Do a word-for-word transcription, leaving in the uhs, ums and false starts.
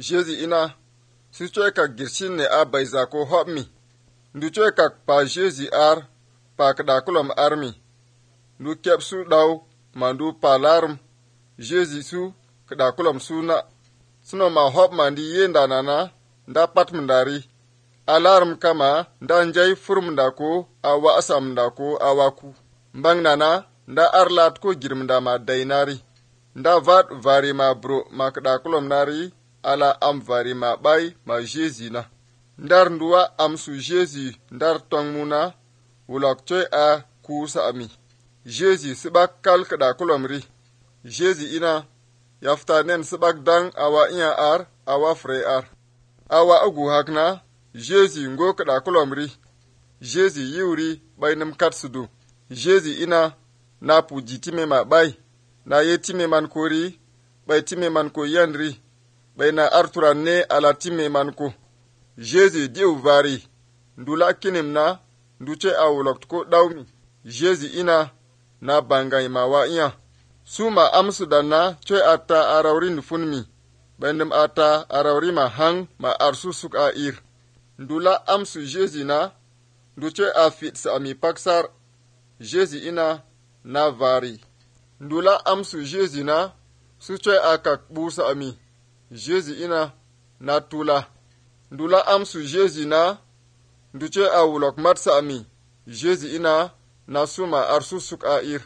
Jésus ina su coy kak girshin ne a bayza ko hop mi. Ndu coy kak pa Jésus ar pa kada kulom armi. Ndu kep su daw ma ndu pa larum Jésus su kada kulom su na. Suno ma hop ma ndi yenda nana nda pat mndari. Alarm kama nda njay furum nda ko awa asam nda ko awaku. Mbang nana nda arlat ko girmda ma dainari. Nda vat vari ma bro ma kada kulom nari ala am vari ma bay ma Jésus na. Ndar nduwa am su Jésus ndar tong muna wulak coy a kusa ami. Jésus sibak kal kada kulom ri. Jésus ina yafta nen sibak dang awa iya ar awa fre ar. Awa agu hakna Jésus ngo kada kulom ri. Jésus yiwri bay nim kat sudu. Jésus ina na puji time ma bay. Na ye time man ko ri bay time man ko yan ri. Bay na arturan ne ala time man ko. Jésus diu vari. Ndula kinim na nduche awulok ko dawmi. Jésus ina na bangay ma wa iya. Suma amsu dana coy ata arawri nufunmi. Bendim ata arawri ma hang ma arsu suk a ir. Ndula amsu Jésus na nduche a fit sa ami paksar. Jésus ina na vari. Ndula amsu Jésus na su coy a kak busa ami. Jésus ina na tula. Ndula amsu Jésus na nduche a wulok matsa ami. Jésus ina na suma arsu suk a ir.